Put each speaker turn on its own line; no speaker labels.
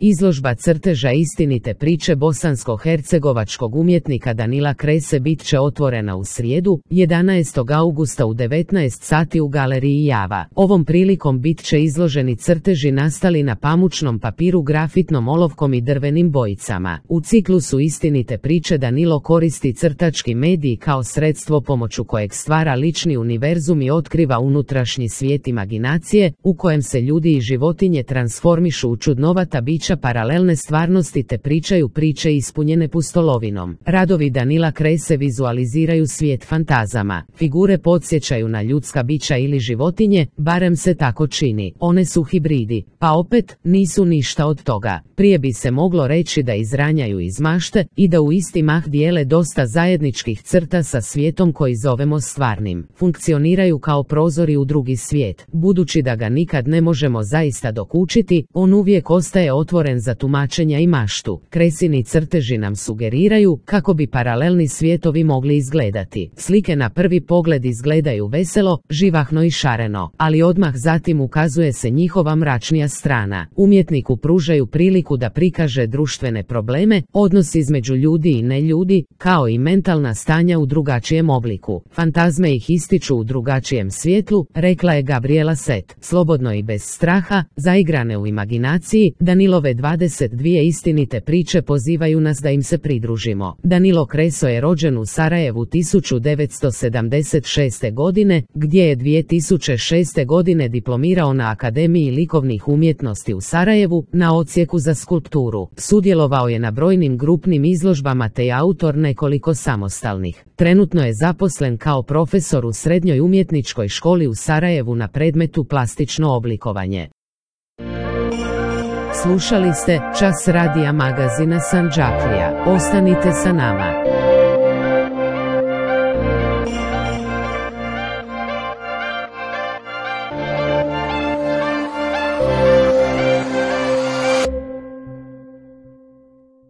Izložba crteža istinite priče bosansko-hercegovačkog umjetnika Danila Krese bit će otvorena u srijedu, 11. augusta u 19 sati u galeriji Java. Ovom prilikom bit će izloženi crteži nastali na pamučnom papiru, grafitnom olovkom i drvenim bojicama. U ciklusu istinite priče Danilo koristi crtački medij kao sredstvo pomoću kojeg stvara lični univerzum i otkriva unutrašnji svijet imaginacije, u kojem se ljudi i životinje transformišu u čudnovata bića paralelne stvarnosti te pričaju priče ispunjene pustolovinom. Radovi Danila Krese vizualiziraju svijet fantazama. Figure podsjećaju na ljudska bića ili životinje, barem se tako čini. One su hibridi, pa opet nisu ništa od toga. Prije bi se moglo reći da izranjaju iz mašte i da u isti mah dijele dosta zajedničkih crta sa svijetom koji zovemo stvarnim. Funkcioniraju kao prozori u drugi svijet. Budući da ga nikad ne možemo zaista dokučiti, on uvijek ostaje otvoren za tumačenja i maštu. Kresini crteži nam sugeriraju kako bi paralelni svijetovi mogli izgledati. Slike na prvi pogled izgledaju veselo, živahno i šareno, ali odmah zatim ukazuje se njihova mračnija strana. Umjetniku pružaju priliku da prikaže društvene probleme, odnos između ljudi i neljudi, kao i mentalna stanja u drugačijem obliku. Fantazme ih ističu u drugačijem svjetlu, rekla je Gabriela Set. Slobodno i bez straha, zaigrane u imaginaciji, Danilove 22 istinite priče pozivaju nas da im se pridružimo. Danilo Kreso je rođen u Sarajevu 1976. godine, gdje je 2006. godine diplomirao na Akademiji likovnih umjetnosti u Sarajevu, na odsjeku za skulpturu. Sudjelovao je na brojnim grupnim izložbama te je autor nekoliko samostalnih. Trenutno je zaposlen kao profesor u Srednjoj umjetničkoj školi u Sarajevu na predmetu plastično oblikovanje. Slušali ste Čas radija magazina Sandžaklija. Ostanite sa nama.